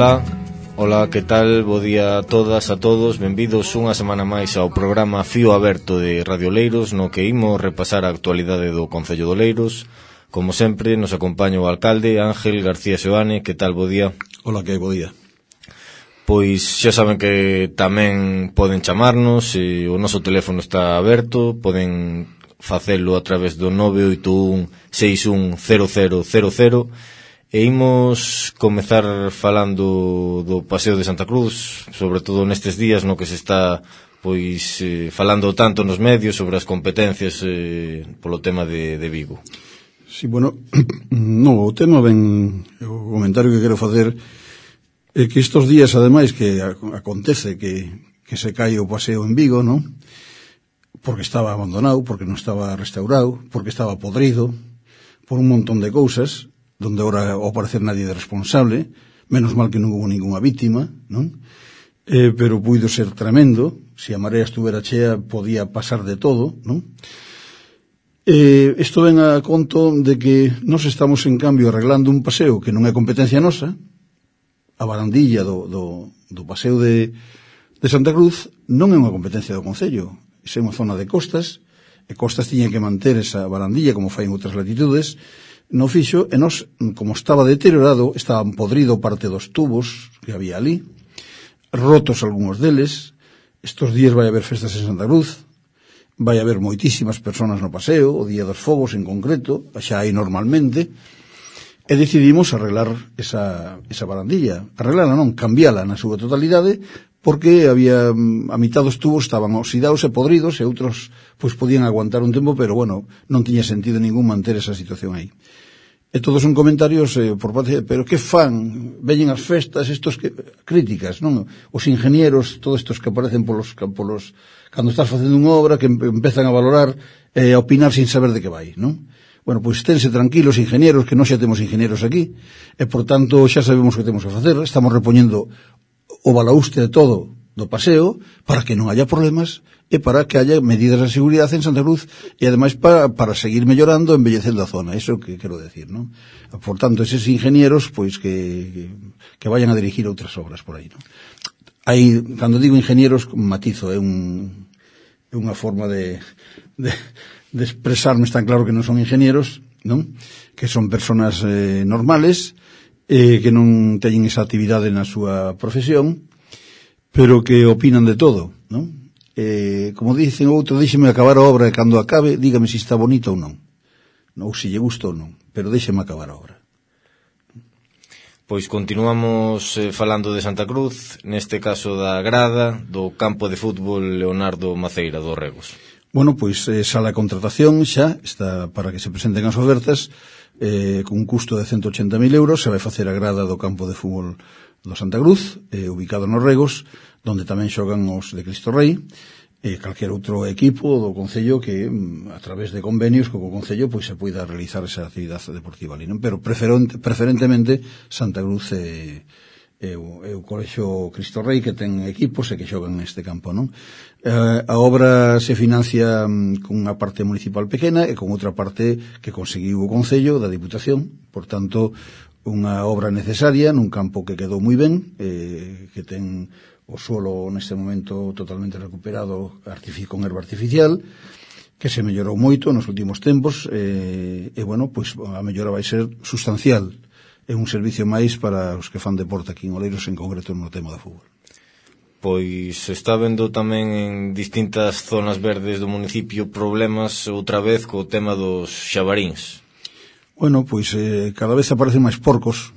Ola, que tal? Bo día a todas, a todos. Benvidos unha semana máis ao programa Fío Aberto de Radio Oleiros, no que imos repasar a actualidade do Concello de Oleiros. Como sempre, nos acompaña o alcalde Ángel García Seoane. Que tal? Bo día. Ola, que hai? Bo día. Pois xa saben que tamén poden chamarnos, o noso teléfono está aberto, poden facelo a través do 981 61 0000. E imos comezar falando do Paseo de Santa Cruz, sobre todo nestes días no que se está falando tanto nos medios sobre as competencias polo tema de Vigo. Sí, bueno, no, o tema ben, o comentario que quero facer é que estes días, ademais, que acontece que se cae o paseo en Vigo, non? Porque estaba abandonado, porque non estaba restaurado, porque estaba podrido, por un montón de cousas, donde ahora ao parecer nadie é responsable, menos mal que non hubo ninguna víctima, non? Pero puido ser tremendo, se a marea estuvera chea podía pasar de todo, non? Isto ven a conto de que nos estamos en cambio arreglando un paseo que non é competencia nosa, a barandilla do paseo de Santa Cruz non é unha competencia do Concello, é unha zona de costas, e Costas tiña que manter esa barandilla como fai en outras latitudes. No fixo, e nos, como estaba deteriorado, estaban podrido parte dos tubos que había ali, rotos algúns deles. Estos días vai haber festas en Santa Cruz, vai haber moitísimas personas no paseo, o día dos fogos en concreto, xa hai normalmente, e decidimos arreglar esa barandilla. Arreglarla non, cambiala na súa totalidade, porque había a mitad dos tubos estaban oxidados e podridos e outros pois podían aguantar un tempo, pero bueno, non tiña sentido ningún manter esa situación aí. E todos son comentarios por parte, pero que fan? Veñen as festas, estos que críticas, non? Os ingenieros, todos estos que aparecen polos cando estás facendo unha obra que empezan a valorar e a opinar sin saber de que vai, non? Bueno, pois tense tranquilos, ingenieros, que non xa temos ingenieros aquí, e por tanto xa sabemos o que temos que facer, estamos repoñendo o balaúste de todo do paseo para que non haya problemas e para que haya medidas de seguridade en Santa Cruz e ademais para seguir mellorando, embellecendo a zona, eso que quero decir, non? Por tanto, eses ingenieros pois que vayan a dirigir outras obras por aí, non? Aí, cando digo ingenieros, matizo, é unha forma de expresarme, está claro que non son ingenieros, non? Que son personas normales, que non teñen esa actividade na súa profesión, pero que opinan de todo, non? Como dicen outro, déxeme acabar a obra e cando acabe, dígame se está bonita ou non, ou se lle gusta ou non, pero déxeme acabar a obra. Pois continuamos falando de Santa Cruz, neste caso da grada do campo de fútbol Leonardo Maceira dos Regos. Bueno, pois sala de contratación xa está para que se presenten as ofertas, con un custo de 180.000 euros, se vai facer a grada do campo de fútbol do Santa Cruz, ubicado nos Regos, donde tamén xogan os de Cristo Rei, calquer outro equipo do Concello que, a través de convenios co Concello, pois se poida realizar esa actividade deportiva ali, non? Pero preferentemente Santa Cruz é o Colexio Cristo Rei que ten equipos e que xogan neste campo, non? A obra se financia con unha parte municipal pequena e con outra parte que conseguiu o Concello da Diputación, por tanto, unha obra necesaria nun campo que quedou moi ben, que ten o suelo neste momento totalmente recuperado con herba artificial, que se mellorou moito nos últimos tempos, e bueno, pois a mellora vai ser sustancial. É un servicio máis para os que fan deporte aquí en Oleiros, en concreto no tema do fútbol. Pois está vendo tamén en distintas zonas verdes do municipio problemas outra vez co tema dos xabaríns. Bueno, pois cada vez aparecen máis porcos,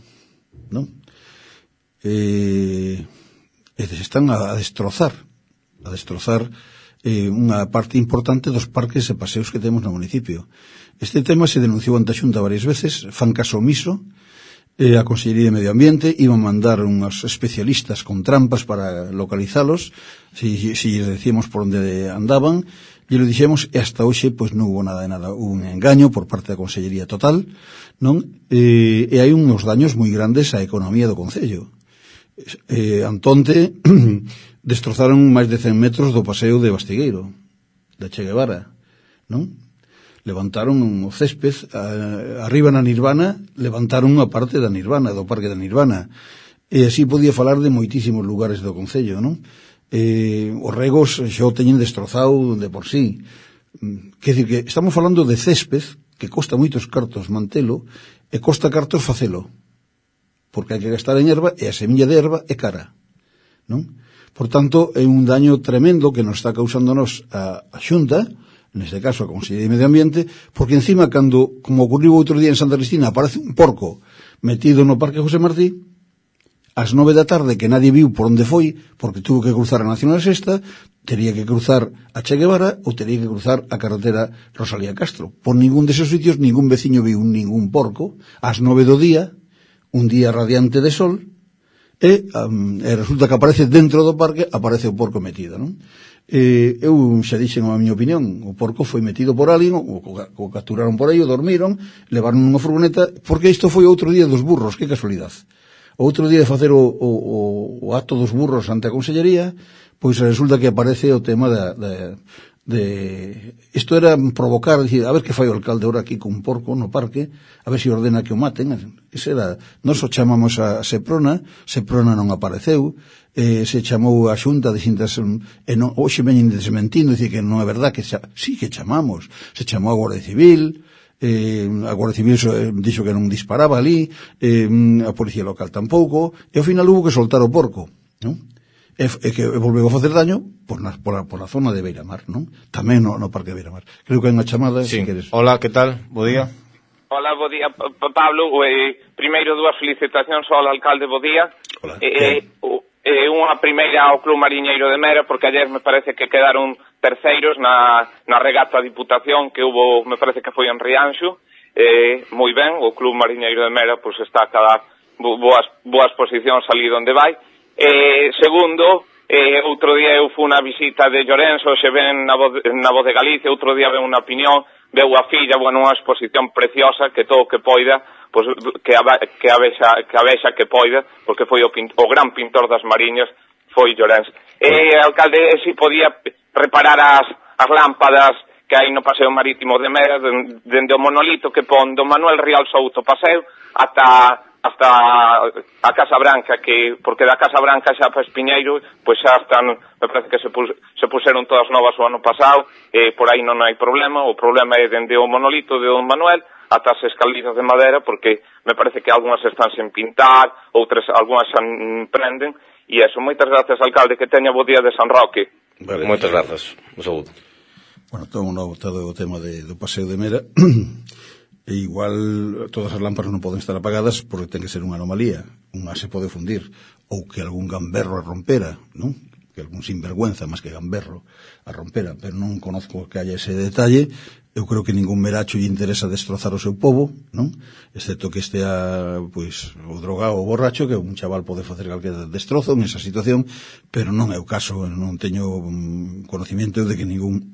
non? E se están a destrozar unha parte importante dos parques e paseos que temos no municipio. Este tema se denunciou ante a Xunta varias veces, fan caso omiso. A Consellería de Medio Ambiente iban a mandar unhos especialistas con trampas para localizalos, si lles decíamos por onde andaban, e lo dixemos, e hasta hoxe pois non hubo nada de nada, hubo un engaño por parte da Consellería total, non? E hai uns daños moi grandes á economía do Concello. Antonte destrozaron máis de 100 metros do paseo de Bastigueiro, da Che Guevara, non? Levantaron o césped, arriba na Nirvana, levantaron unha parte da Nirvana, do Parque da Nirvana. e así podía falar de moitísimos lugares do concello, non? Os regos xa o teñen destrozado de por sí. Quer dizer que estamos falando de césped que costa moitos cartos mantelo e costa cartos facelo, porque hai que gastar en erva e a semilla de erva é cara, non? Por tanto, é un daño tremendo que nos está causándonos a Xunta, neste caso a Consellería de Medio Ambiente, porque encima, cando, como ocurriu outro día en Santa Cristina, aparece un porco metido no Parque José Martí, ás 9 da tarde, que nadie viu por onde foi, porque tuvo que cruzar a Nacional Sexta, tería que cruzar a Che Guevara ou tería que cruzar a carretera Rosalía Castro. Por ningún deses sitios, ningún veciño viu ningún porco, ás 9 do día, un día radiante de sol, e resulta que aparece dentro do parque, aparece o porco metido, non? Eu xa dixen a miña opinión, o porco foi metido por alguén, o capturaron por aí, o dormiron, levaron nunha furgoneta, porque isto foi outro día dos burros, que casualidade. Outro día de facer o acto dos burros ante a Consellería, pois resulta que aparece o tema isto era provocar, dicir, a ver que fai o alcalde ahora aquí con un porco no parque, a ver se ordena que o maten. Ese era, nós o chamamos a Seprona non apareceu, se chamou a Xunta de Xintas, hoxe veñen desmentindo, dicir que non é verdad, que sí que chamamos, se chamou a Guardia Civil, a Guardia Civil dixo que non disparaba ali, a Policía Local tampouco, e ao final hubo que soltar o porco, non? E que volveu a facer daño por a zona de Beiramar, non? Tamén no Parque de Beiramar. Creo que hai unha chamada, sí. Se queres. Hola, que tal? Bo día. Hola, bo día, Pablo. Primeiro, dúas felicitacións ao alcalde, bo día. Hola. Unha primeira ao Club Mariñeiro de Mera, porque ayer me parece que quedaron terceiros na regata a Diputación que hubo, me parece que foi en Rianxo. Moi ben, o Club Mariñeiro de Mera pues está a cada boas posicións ali onde vai. Segundo, outro día eu fui unha visita de Llorenzo, se ven na voz de Galicia, outro día ven unha opinión, veu a filla, bueno, unha exposición preciosa, que todo o que poida, pues, que a vexa que poida, porque foi o gran pintor das Mariñas, foi Llorenzo. Alcalde, si podía reparar as lámpadas que hai no Paseo Marítimo de Mera, dende o monolito que pon do Manuel Rial Souto Paseo, hasta a Casa Branca, que porque da Casa Branca xa para Espiñeiro, pois xa están, me parece que se puseron todas novas o ano pasado, por aí non hai problema. O problema é dende o monolito de Don Manuel ata as escalizas de madera, porque me parece que algunhas están sen pintar, algunhas xa prenden, e eso. Moitas gracias, alcalde, que teña bo día de San Roque. Vale, moitas grazas, un saúdo. Bueno, todo o tema do Paseo de Mera. E igual todas as lámparas non poden estar apagadas porque ten que ser unha anomalía. Unha se pode fundir, ou que algún gamberro a rompera, non? Que algún sinvergüenza, máis que gamberro, a rompera, pero non conozco que haya ese detalle. Eu creo que ningún meracho lle interesa destrozar o seu pobo, non? Excepto que estea, pois, o drogado ou borracho, que un chaval pode facer calquer destrozo nesa situación, pero non é o caso, non teño conocimiento de que ningún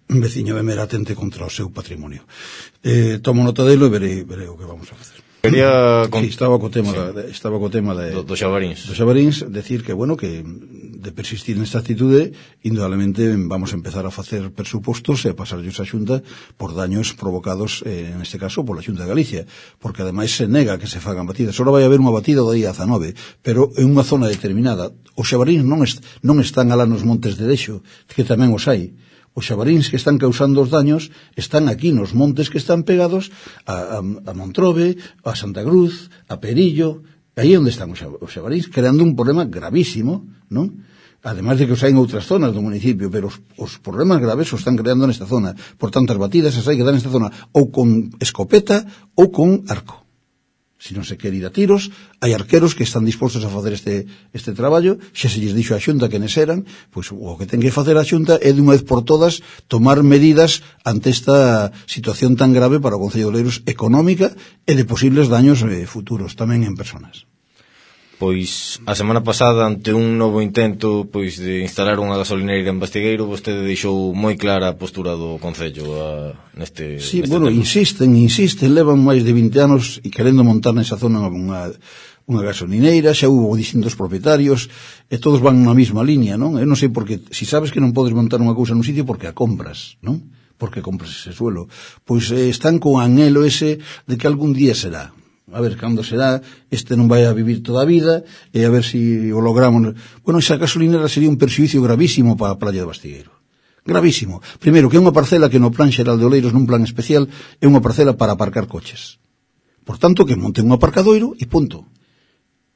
veciño de Mera atente contra o seu patrimonio. Tomo nota delo e verei o que vamos a facer. Estaba co tema do Xabaríns. Do Xabaríns, decir que, bueno, que de persistir nesta actitude, indudablemente vamos a empezar a facer presupostos e a pasarllos a Xunta por daños provocados, neste caso, pola Xunta de Galicia, porque ademais se nega que se fagan batidas. Só vai haber unha batida do día 19, pero en unha zona determinada. Os xabaríns non están alá nos montes de Dexo, que tamén os hai. Os xabaríns que están causando os daños están aquí nos montes que están pegados a Montrobe, a Santa Cruz, a Perillo. Aí é onde están os xabaríns, creando un problema gravísimo, non? Ademais de que os hai en outras zonas do municipio, pero os problemas graves os están creando nesta zona. Por tanto, as batidas as hai que dar nesta zona ou con escopeta ou con arco. Se non se quere ir a tiros, hai arqueros que están dispostos a facer este traballo. Xa se lles dixo a Xunta que nes eran, pois o que ten que facer a Xunta é de unha vez por todas tomar medidas ante esta situación tan grave para o Concello de Oleiros, económica e de posibles daños futuros tamén en personas. Pois a semana pasada, ante un novo intento pois de instalar unha gasolineira en Bastigueiro, vostede deixou moi clara a postura do Concello neste bueno, tema. Insisten, levan máis de 20 anos e querendo montar nesa zona unha gasolineira, xa hubo distintos propietarios e todos van na mesma línea, non? Eu non sei porque, si sabes que non podes montar unha cousa nun sitio, porque a compras, non? Porque compras ese suelo. Pois están con anhelo ese de que algún día será. a ver cando será, este non vai a vivir toda a vida, e a ver se o logramos. Bueno, esa gasolinera sería un perxuízo gravísimo para a playa de Bastigueiro. Gravísimo. Primeiro, que é unha parcela que no plan xeral de Oleiros, nun plan especial, é unha parcela para aparcar coches. Por tanto, que monten un aparcadoiro e punto.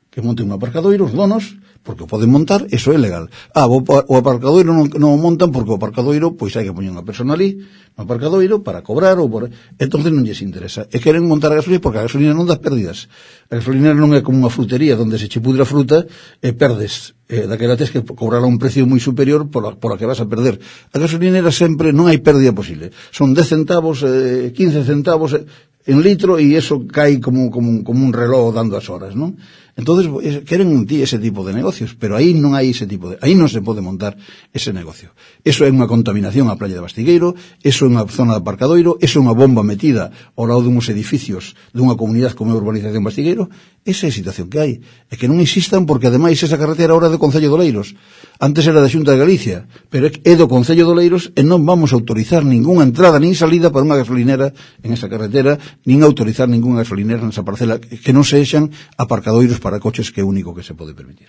Que monten un aparcadoiro os donos, porque o poden montar, eso é legal. O aparcadoiro non o montan porque o aparcadoiro, pois hai que poñer unha persona ali, no aparcadoiro, para cobrar, entonces non lles interesa. E queren montar a gasolina porque a gasolina non dá pérdidas. A gasolina non é como unha frutería donde se che pudre a fruta e perdes. Daquela tes que cobrar a un precio moi superior por a que vas a perder. A gasolinera sempre non hai pérdida posible. Son 10 centavos, 15 centavos en litro e eso cae como un reloj dando as horas, non? Entonces queren ese tipo de negocios, pero aí non hai ese tipo aí non se pode montar ese negocio. Eso é unha contaminación á playa de Bastigueiro, eso é unha zona de aparcadoiro, eso é unha bomba metida ao lado dunhos edificios dunha comunidade como é a urbanización Bastigueiro. Esa é a situación que hai. É que non insistan porque ademais esa carretera ahora é do Concello de Oleiros. Antes era da Xunta de Galicia, pero é do Concello de Oleiros e non vamos a autorizar ningunha entrada nin salida para unha gasolinera en esa carretera, nin autorizar ningunha gasolinera nesa parcela que non sexan aparcadoiros para coches, que é o único que se pode permitir.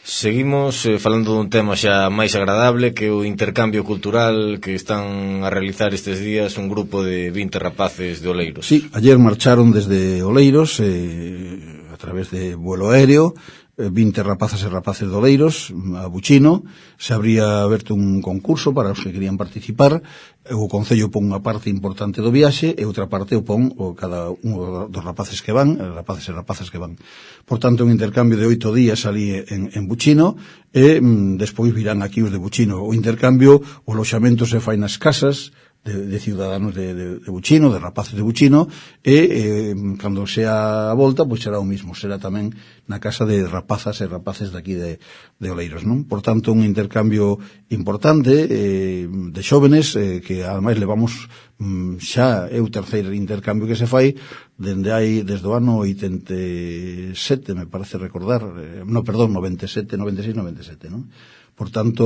Seguimos falando dun tema xa máis agradable, que é o intercambio cultural que están a realizar estes días un grupo de 20 rapaces de Oleiros. Sí, ayer marcharon desde Oleiros a través de vuelo aéreo, 20 rapazas e rapaces de Oleiros a Buchino. Se habría aberto un concurso para os que querían participar. O Concello pon unha parte importante do viaxe e outra parte o pon cada un dos rapaces que van, rapaces e rapazas que van. Por tanto, un intercambio de 8 días ali en Buchino e despois virán aquí os de Buchino. O intercambio, o loxamento se fai nas casas de ciudadanos de Buchino, de rapaces de Buchino, e cando sea a volta, pois será o mismo, será tamén na casa de rapazas e rapaces daqui de Oleiros, non? Por tanto, un intercambio importante de xóvenes que ademais levamos xa é o terceiro intercambio que se fai desde o ano 87, me parece recordar, 97, 96, 97, non? Por tanto,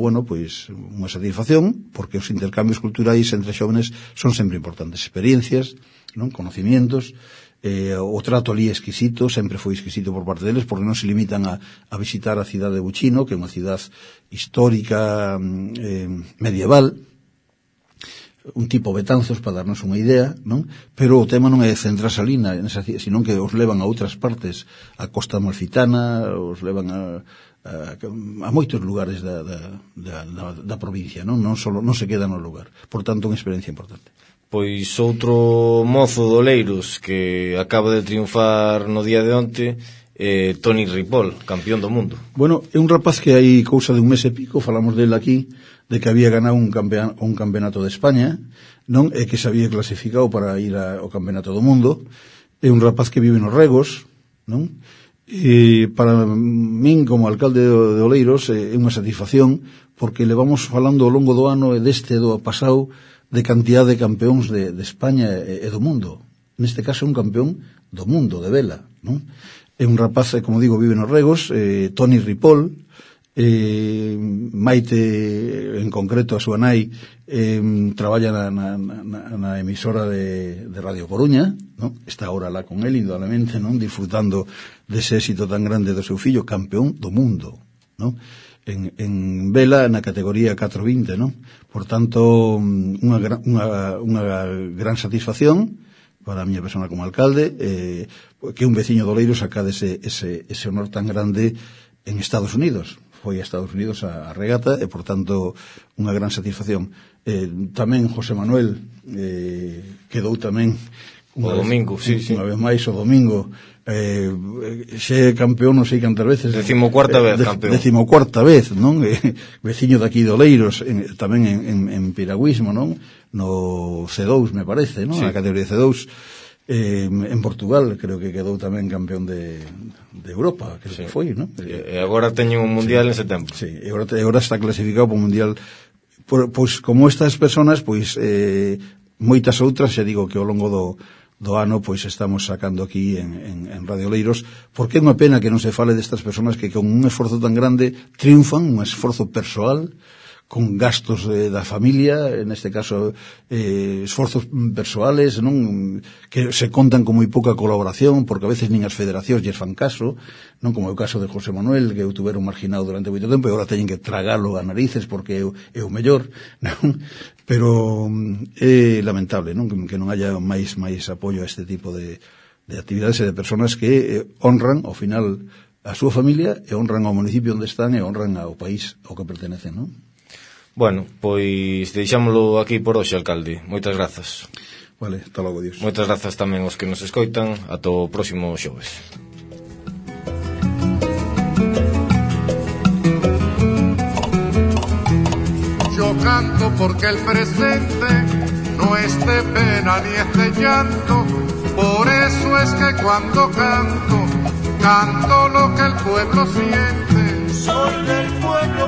bueno, pois unha satisfacción, porque os intercambios culturais entre xóvenes son sempre importantes, experiencias, non, conocimientos, o trato ali exquisito, sempre foi exquisito por parte deles, porque non se limitan a visitar a cidade de Buchino, que é unha cidade histórica, medieval, un tipo Betanzos, para darnos unha idea, non? Pero o tema non é centrarse ali nesa cidade, sino que os levan a outras partes, a Costa Amalfitana, os levan a moitos lugares da provincia, non se queda no lugar. Por tanto, unha experiencia importante. Pois outro mozo de Oleiros que acaba de triunfar no día de onte, Toni Ripoll, campeón do mundo. Bueno, é un rapaz que hai cousa de un mes e pico, falamos dele aquí, de que había ganado un campeonato de España, non? E que se había clasificado para ir ao campeonato do mundo. É un rapaz que vive nos Regos, non? E para min, como alcalde de Oleiros, é unha satisfacción, porque levamos falando ao longo do ano e deste do pasado de cantidad de campeóns de España e do mundo. Neste caso é un campeón do mundo, de vela, non? É un rapaz, como digo, vive nos Regos, Toni Ripoll, Maite, en concreto a súa nai, traballa na emisora de Radio Coruña, non? Está ahora lá con él, indudablemente, non? Disfrutando dese éxito tan grande do seu fillo, campeón do mundo, non? En vela na categoría 420, non? Por tanto, unha gran satisfacción para a miña persona como alcalde, que un veciño de Oleiros acade ese honor tan grande en Estados Unidos. Foi a Estados Unidos a regata e, por tanto, unha gran satisfacción. Tamén José Manuel quedou tamén o domingo, unha vez máis o domingo, xe campeón non sei cantas veces, 14ª vez campeón, 14ª vez, non? Veciño daqui de Oleiros, tamén en piragüismo, non? No C2, me parece, non? Sí. Na categoría C2, en Portugal creo que quedou tamén campeón de Europa, creo que foi, non? E agora teñen un mundial en setembro. Sí, e agora está clasificado para un mundial. Pois como estas personas, pois moitas outras, xa digo que ao longo do ano pois estamos sacando aquí en Radio Oleiros, porque é unha pena que non se fale destas personas que con un esforzo tan grande triunfan, un esforzo persoal, con gastos da familia, neste caso esforzos persoales, non, que se contan con moi pouca colaboración, porque a veces nin as federacións lles fan caso, non como é o caso de José Manuel, que eu tuveron marginado durante moito tempo e agora teñen que tragalo a narices porque é o mellor, non? Pero é lamentable, non, que non haya máis apoio a este tipo de actividades e de personas que honran ao final a súa familia e honran ao municipio onde están e honran ao país ao que pertenecen, non? Bueno, pois deixámoslo aquí por hoxe, alcalde. Moitas grazas. Vale, hasta logo, Dios. Moitas grazas tamén aos que nos escoitan. Ata o próximo xoves. Yo canto porque el presente no es de pena ni es de llanto. Por eso es que cuando canto, canto lo que el pueblo siente. Soy del pueblo,